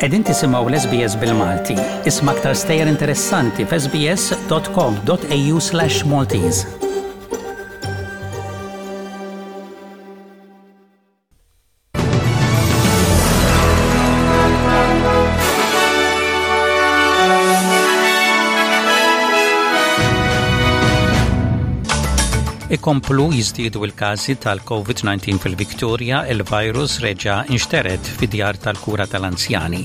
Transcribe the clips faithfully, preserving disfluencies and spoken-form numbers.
Qegħdin tisimgħu l-S B S bil-Malti. Isma' aktar stejjer interessanti f'S B S dot com dot A U slash Maltese. Ikomplu jiżdiedu il-każi tal-COVID nineteen fil-Victoria, il-virus reġa' inxtered fid-djar tal-kura tal-anzjani.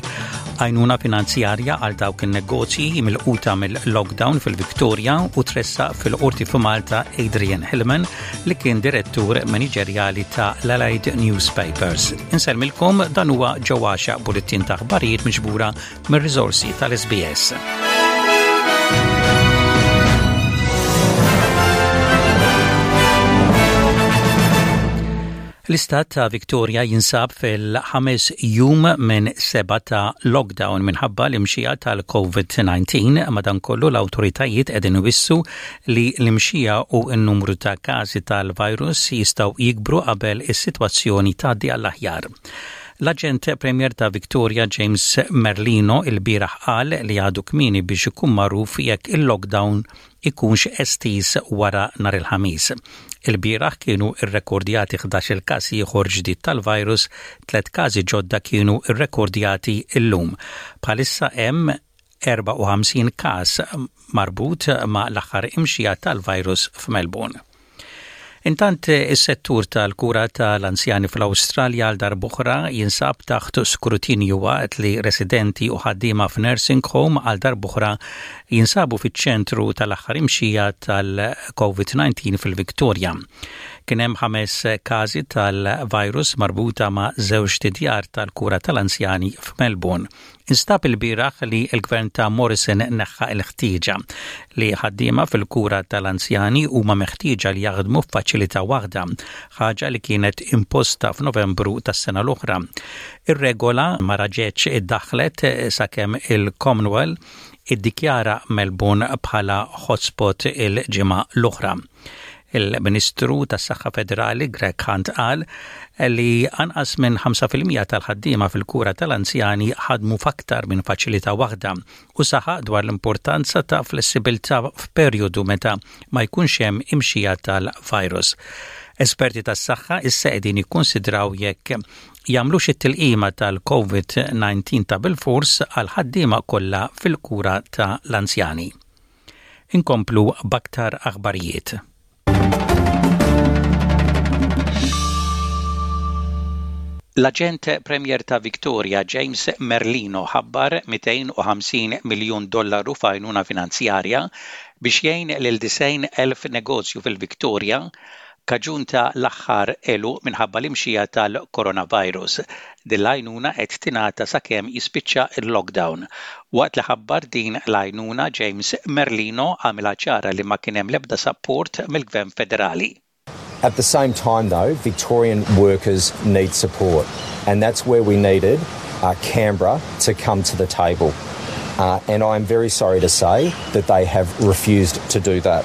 Għajnuna finanzjarja għal dawk il-negozji milquta mill-lockdown fil-Victoria u tressaq fil-qorti f'Malta Adrian Hillman, li kien direttur maniġerjali ta' l-Allied Newspapers. Insellmilkom, dan huwa ġewwaxa bulletin ta' aħbarijiet miġbura mir-riżorsi tal-S B S. L-istat ta' Victoria jinsab fil-ħames jum minn seba ta' lockdown minħabba l-imxija tal-COVID nineteen. Madankollu, l-autoritajiet qegħdin iwissu li l-imxija u n-numru ta' każi tal-virus jistgħu jikbru qabel is-sitwazzjoni tgħaddi għall-aħjar. L-aġent Premier ta' Victoria James Merlino il-bieraħ qal li għadu kmieni biex ikun magħruf jekk il-lockdown ikunx estiż wara nhar il-Ħamis. Il-bieraħ kienu irrekordjati ħdax-il każ ieħor ġdid tal-virus, tliet każi ġodda kienu irrekordjati illum. Bħalissa hemm erbgħa u ħamsin każ marbut ma' l-aħħar imxija tal-virus f'Melbourne. Intant, is-settur tal-kura tal-anzjani fl-Awstralja għal darb'oħra jinsab taħt skrutinju waqt li residenti u ħaddiema f'nursing home għal darb'oħra jinsabu fiċ-ċentru tal-aħħar imxija tal-COVID nineteen fil-Victoria. Kien hemm ħames każi tal-virus marbuta ma' żewġ djar tal-kura tal-anzjani f'Melbourne. Instab il-bieraħ li l-gvern ta' Morrison neħħa l-ħtieġa li ħaddiema fil-kura tal-anzjani huma meħtieġa li jaħdmu f'faċilità waħda, ħaġa li kienet imposta f'Novembru tas-sena l-oħra. Ir-regola ma raġetx iddaħlet sakemm il-Commonwealth iddikjara Melbourne bħala hotspot il-ġimgħa l-oħra. Il-Ministru tas-Saħħa Federali Greg Hunt qal li anqas minn ħamsa fil-mija tal-ħaddiema fil-kura tal-anzjani ħadmu f'aktar minn faċilità waħda u saħaq dwar l-importanza ta' flessibilità f'perjodu meta ma jkunx hemm imxija tal-virus. Esperti tas-saħħa issa qegħdin jikkonsidraw jekk jagħmlux it-tilqima tal-COVID nineteen ta' bilfors għal ħaddiema kollha fil-kura tal-anzjani. Inkomplu b'aktar aħbarijiet. L-aġent Premier ta' Victoria James Merlino ħabbar mitejn u ħamsin miljun dollaru f'għajnuna finanzjarja biex jgħin lil disgħin elf negozju fil-Victoria kaġun ta' l-aħħar għeluq minħabba l-imxija tal-coronavirus. Din l-għajnuna qed tingħata sakemm jispiċċa il-lockdown. Waqt li ħabbar din l-għajnuna, James Merlino għamilha ċara li ma kien hemm l-ebda support mill-Gvern Federali. At the same time, though, Victorian workers need support, and that's where we needed uh, Canberra to come to the table. Uh, and I'm very sorry to say that they have refused to do that.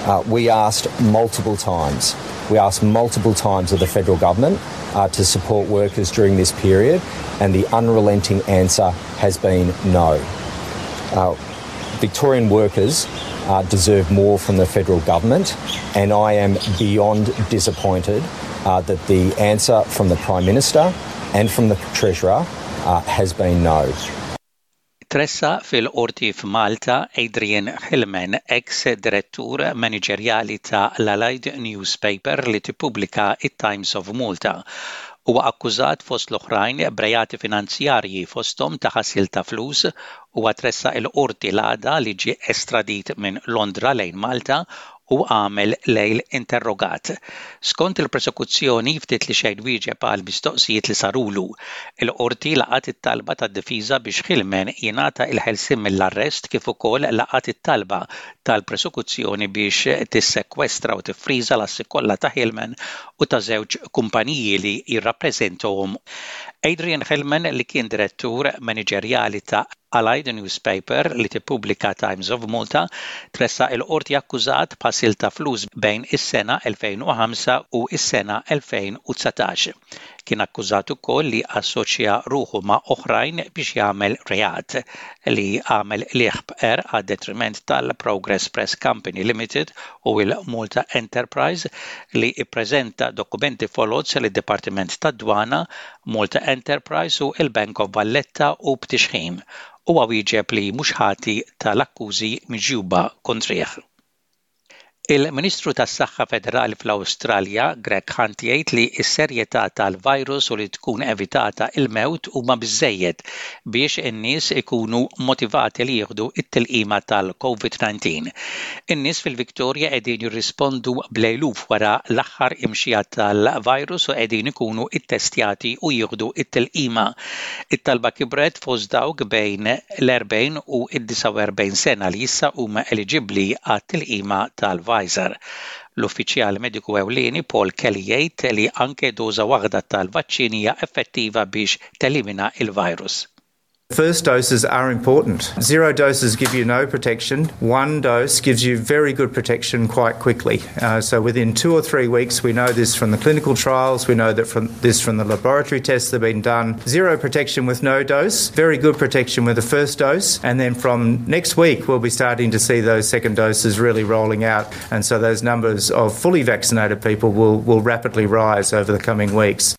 Uh, we asked multiple times. We asked multiple times of the federal government uh, to support workers during this period, and the unrelenting answer has been no. Uh, Victorian workers uh, deserve more from the federal government, and I am beyond disappointed uh, that the answer from the Prime Minister and from the Treasurer uh, has been no. Tressaq fil-qorti f'Malta Adrian Hillman, ex-direttur maniġerjali ta' l-Allied Newspaper li tippubblika it-Times of Malta. Huwa akkużat fost l-oħrajn b'reati finanzjarji, fosthom ta' ħasil ta' flus. Huwa tressaq il-qorti l-għada li ġie estradit minn Londra lejn Malta u għamel lejl interrogat. Skont il-prosekuzzjoni, ftit li xejn wieġeb għal mistoqsijiet li sarulu. Il-qorti laqat it-talba tad-difiża biex Hillman jingħata il-ħelsien mill-arrest, kif ukoll laqat it-talba tal-prosekuzzjoni biex tissekwestra u tiffriża l-assi kollha ta' Hillman u ta' żewġ kumpaniji li jirrappreżentahom. Adrian Hillman, li kien direttur maniġerjali ta' Allied Newspaper li tippubblika Times of Malta, tressaq il-qorti akkużat b'ħasil ta' flus bejn is-sena elfejn u ħamsa u is-sena elfejn u dsatax. Kien akkużat ukoll li assoċja ruħu ma' oħrajn biex jagħmel reat li għamel qligħ b'qerq għad-detriment tal-Progress Press Company Limited u il-Malta Enterprise li ippreżenta dokumenti foloz lid-Dipartiment tad-Dwana, Malta Enterprise u il-Bank of Valletta u b'tixħim. Huwa wieġeb li mhux ħati tal-akkużi miġjuba kontrih. Il-Ministru tas-Saħħa Federali fl-Awstralja, Greg Hunt jgħid li s-serjetà tal-virus u li tkun evitata il-mewt huma biżejjed biex in-nies ikunu motivati li jieħdu it-tilqima tal-COVID nineteen. In-nies fil-Victoria qegħdin jirrispondu bl-eluf wara l-aħħar imxija tal-virus u qegħdin ikunu ittestjati u jieħdu it-tilqima. It-talba kibret fost dawk bejn l-erbgħin u d-disgħa u erbgħin sena li issa huma eliġibbli għat-tilqima tal-Pfizer. L-uffiċjal mediku ewlieni Paul Kelly jgħid li anke doża waħda tal-vaċċin hija effettiva biex telimina il-virus. First doses are important. Zero doses give you no protection. One dose gives you very good protection quite quickly. Uh, so within two or three weeks, we know this from the clinical trials, we know that from this from the laboratory tests that have been done. Zero protection with no dose, very good protection with the first dose, and then from next week, we'll be starting to see those second doses really rolling out. And so those numbers of fully vaccinated people will, will rapidly rise over the coming weeks.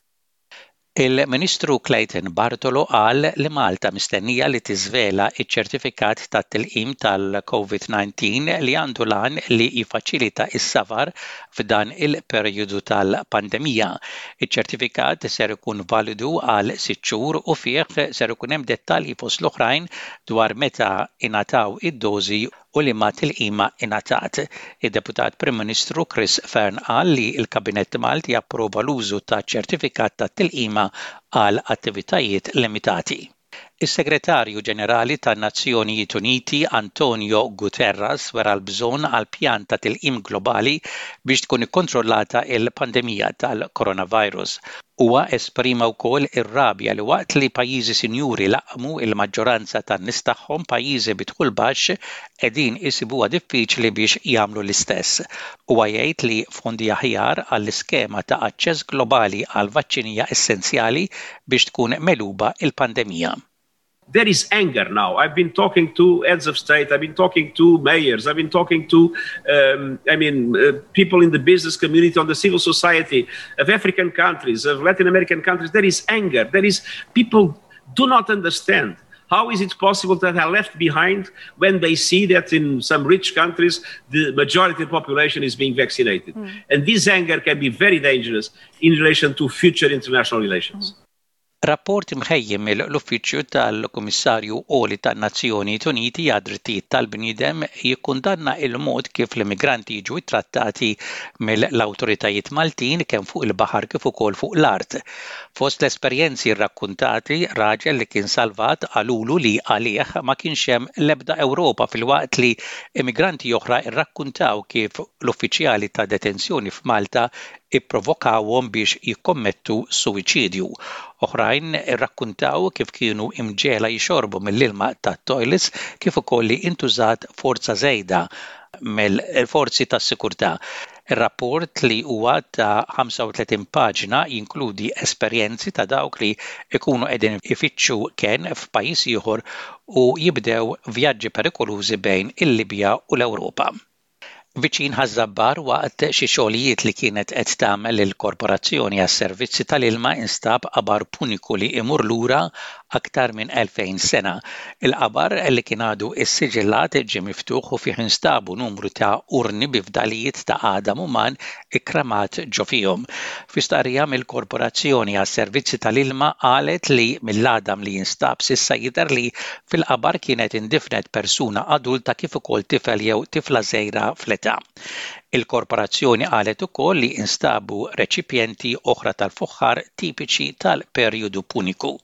Il-Ministru Clayton Bartolo qal li Malta mistennija li tiżvela iċ-ċertifikat tat-tilqim tal-COVID nineteen li għandu l-għan li jiffaċilita s-safar f'dan il-perjodu tal-pandemija. Iċ-ċertifikat ser ikun validu għal sitt xhur u fih ser ikun hemm dettalji fost l-oħrajn dwar meta ingħataw id-dożi u li ma tilqima ingħatat. Id-Deputat Prim Ministru Chris Fearne qal li l-Kabinett Malti approva l-użu ta' ċertifikat ta' tilqima għal attivitajiet limitati. Is-Segretarju Ġenerali tan-Nazzjonijiet Uniti Antonio Guterres wera l-bżonn għal pjan ta' tilqim globali biex tkun ikkontrollata il-pandemija tal-coronavirus. Huwa esprima wkoll ir-rabja li waqt li pajjiżi sinjuri laqmu il-maġġoranza tan-nies tagħhom pajjiżi bi dħul baxx qegħdin isibuha diffiċli biex jagħmlu l-istess. Huwa jgħid li fondi aħjar għall-iskema ta' aċċess globali għal vaċċinija essenzjali biex tkun megħluba il-pandemija. There is anger now. I've been talking to heads of state, I've been talking to mayors, I've been talking to, um, I mean, uh, people in the business community, on the civil society of African countries, of Latin American countries. There is anger. There is people do not understand. How is it possible that are left behind when they see that in some rich countries, the majority of the population is being vaccinated? Mm. And this anger can be very dangerous in relation to future international relations. Mm. Rapport imħejjem mill-Uffiċċju tal-Kummissarju Għoli tan-Nazzjonijiet Uniti għad-Drittijiet tal-Bniedem jikkundanna il-mod kif l-immigranti jiġu ttrattati mill-awtoritajiet Maltin kemm fuq il-baħar kif ukoll fuq l-art. Fost l-esperjenzi rrakkuntati, raġel li kien salvat qalulu li għalih ma kienx hemm l-ebda Ewropa filwaqt li immigranti oħra rrakkuntaw kif l-uffiċjali ta' detenzjoni f'Malta ipprovokawhom biex jikkommettu suwiċidju. Oħrajn irrakkuntaw kif kienu imġiegħla jixorbu mill-ilma tat-toilets kif ukoll li intużat forza żejda mill-forzi tas-sikurtà. Ir-rapport li huwa ta' ħamsa u tletin paġna jinkludi esperjenzi ta' dawk li ikunu qegħdin ifittxu kenn f'pajjiż ieħor u jibdew vjaġġi perikolużi bejn il-Libja u l-Ewropa. Viċin Ħaż-Żabbar waqt xi xogħlijiet li kienet qed tagħmel il-Korporazzjoni għas-Servizzi tal-Ilma instab qabar puniku li imur lura aktar minn elfejn sena. Il-qabar li kien għadu issiġillat ġie miftuħ u fih instabu numru ta' urni bi fdalijiet ta' għadam uman ikkramat ġo fihom. Fi stqarrija mill-Korporazzjoni għas-Servizzi tal-Ilma qalet li mill-għadam li jinstab s'issa jidher li fil-qabar kienet indifnet persuna adulta kif ukoll tifel jew tifla żgħira fl-età. Il-korporazzjoni qalet ukoll li instabu reċipjenti oħra tal-fuħħar tipiċi tal-perjodu puniku.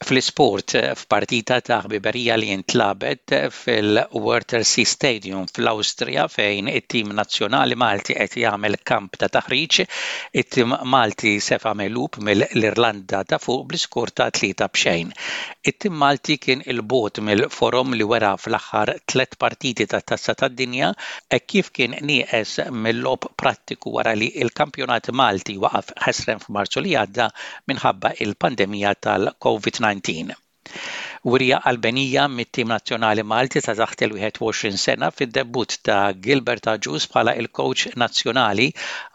Fl-isport, f'partita ta' ħbiberija li intlagħbet fil-Wörthersee Stadium fl-Awstrija fejn it-tim nazzjonali Malti qed jagħmel kamp ta' taħriġ, it-tim Malti sefa megħlub mill-Irlanda ta' Fuq bl-iskor ta' tlieta b'xejn. It-tim Malti kien 'il bogħod mill-forom li wera fl-aħħar tliet partiti tat-Tazza tad-Dinja e kif kien nieqes mill-logħob prattiku wara li l-kampjonat Malti waqaf ħesrem f'Marzu li għadda minħabba il-pandemija tal-COVID disa. Wirja qalbenija mit-tim nazzjonali Malti ta' taħt il-wieħed u għoxrin sena fid-debut ta' Gilbert Agius bħala il-coach nazzjonali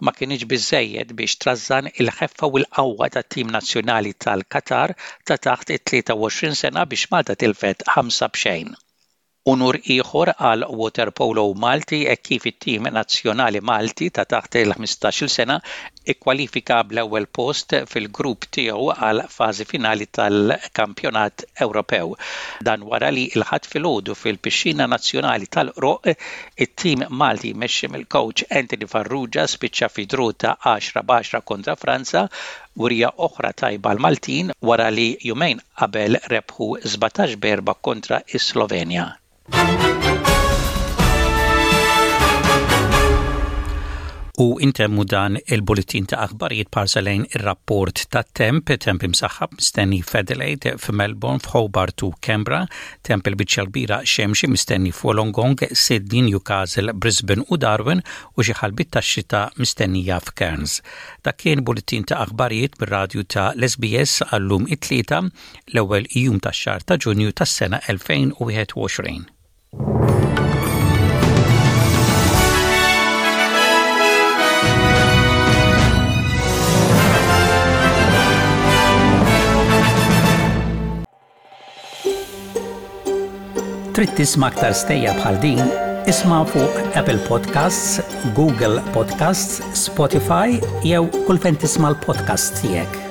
ma kienx biżejjed biex trażżan il-ħeffa u l-qawwa tat-tim nazzjonali tal-Qatar ta' taħt it-tlieta u għoxrin sena biex Malta tilfet ħamsa b'xejn. Unur ieħor għal waterpolo Malti e kif it-tim nazzjonali Malti ta' taħt il-ħmistax-il sena ikkwalifika bl-ewwel post fil-grupp tiegħu għal fażi finali tal-Kampjonat Ewropew. Dan wara li l-Ħadd filgħodu fil-Pixxina Nazzjonali tal-Qroqq it-tim Malti mmexxi mill-coach Anthony Farrugia spiċċa fi draw ta' għaxra b'għaxra kontra Franza, wirja oħra tajba l-Maltin wara li jumejn qabel rebħu sbatax b'erba' kontra is-Slovenja. U intemmu dan il-bulletin ta' aħbarijiet b'ħarsa lejn ir-rapport ta' temp, temp imsaħħab mistenni f'Adelaide, f'Melbourne, f'Hobart u Canberra, temp il-biċċa kbira xemxi mistenni f'Wollongong, Sydney, Newcastle, Brisbane u Darwin u xi ħalbit ta' xita mistennija f'Cairns. Dak kien bulletin ta' aħbarijiet bir-radju ta' l-S B S għallum it-Tlieta, l-ewwel jum tax-xahar ta' Ġunju tas-sena elfejn u wieħed u għoxrin. Trid tisma' aktar stejjer bħal din? Isma' fuq Apple Podcasts, Google Podcasts, Spotify jew kull fejn tisma' l-podcast tiegħek.